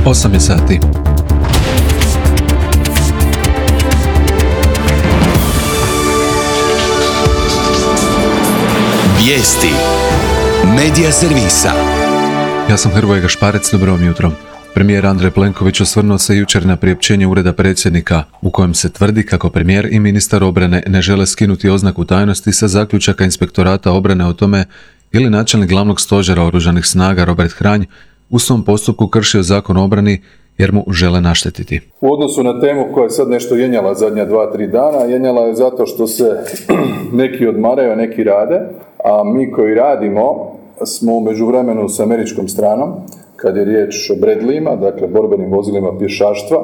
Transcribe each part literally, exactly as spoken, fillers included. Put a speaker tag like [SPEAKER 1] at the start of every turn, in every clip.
[SPEAKER 1] osam je sati.
[SPEAKER 2] Vijesti Medija servisa.
[SPEAKER 1] Ja sam Hrvoje Gašparec, dobro vam jutro. Premijer Andrej Plenković osvrnuo se jučer na priopćenje Ureda predsjednika, u kojem se tvrdi kako premijer i ministar obrane ne žele skinuti oznaku tajnosti sa zaključaka Inspektorata obrane o tome ili načelnik glavnog stožera oružanih snaga Robert Hranj u svom postupku kršio zakon o obrani jer mu žele naštetiti.
[SPEAKER 3] U odnosu na temu koja je sad nešto jenjala zadnja dva, tri dana, jenjala je zato što se neki odmaraju, a neki rade, a mi koji radimo smo u međuvremenu s američkom stranom, kad je riječ o Bradleyima, dakle borbenim vozilima pješaštva,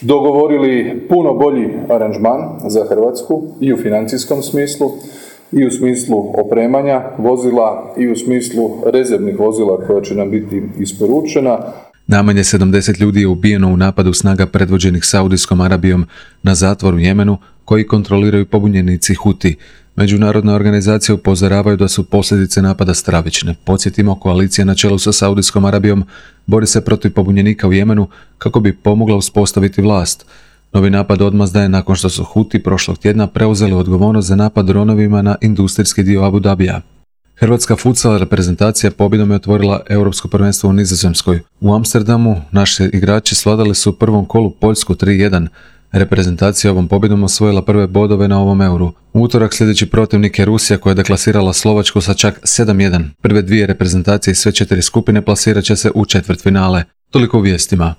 [SPEAKER 3] dogovorili puno bolji aranžman za Hrvatsku i u financijskom smislu, i u smislu opremanja vozila, i u smislu rezervnih vozila koja će nam biti isporučena.
[SPEAKER 1] Najmanje sedamdeset ljudi je ubijeno u napadu snaga predvođenih Saudijskom Arabijom na zatvor u Jemenu, koji kontroliraju pobunjenici Huti. Međunarodne organizacije upozoravaju da su posljedice napada stravične. Podsjetimo, koalicija na čelu sa Saudijskom Arabijom bori se protiv pobunjenika u Jemenu kako bi pomogla uspostaviti vlast. Novi napad odmazda je nakon što su Huti prošlog tjedna preuzeli odgovornost za napad dronovima na industrijski dio Abu Dabija. Hrvatska futsal reprezentacija pobjedom je otvorila Europsko prvenstvo u Nizozemskoj. U Amsterdamu naši igrači svladali su u prvom kolu Poljsku tri jedan. Reprezentacija ovom pobjedom osvojila prve bodove na ovom euru. U utorak sljedeći protivnik je Rusija koja je deklasirala Slovačku sa čak sedam jedan. Prve dvije reprezentacije i sve četiri skupine plasirat će se u četvrtfinale. Toliko u vijestima.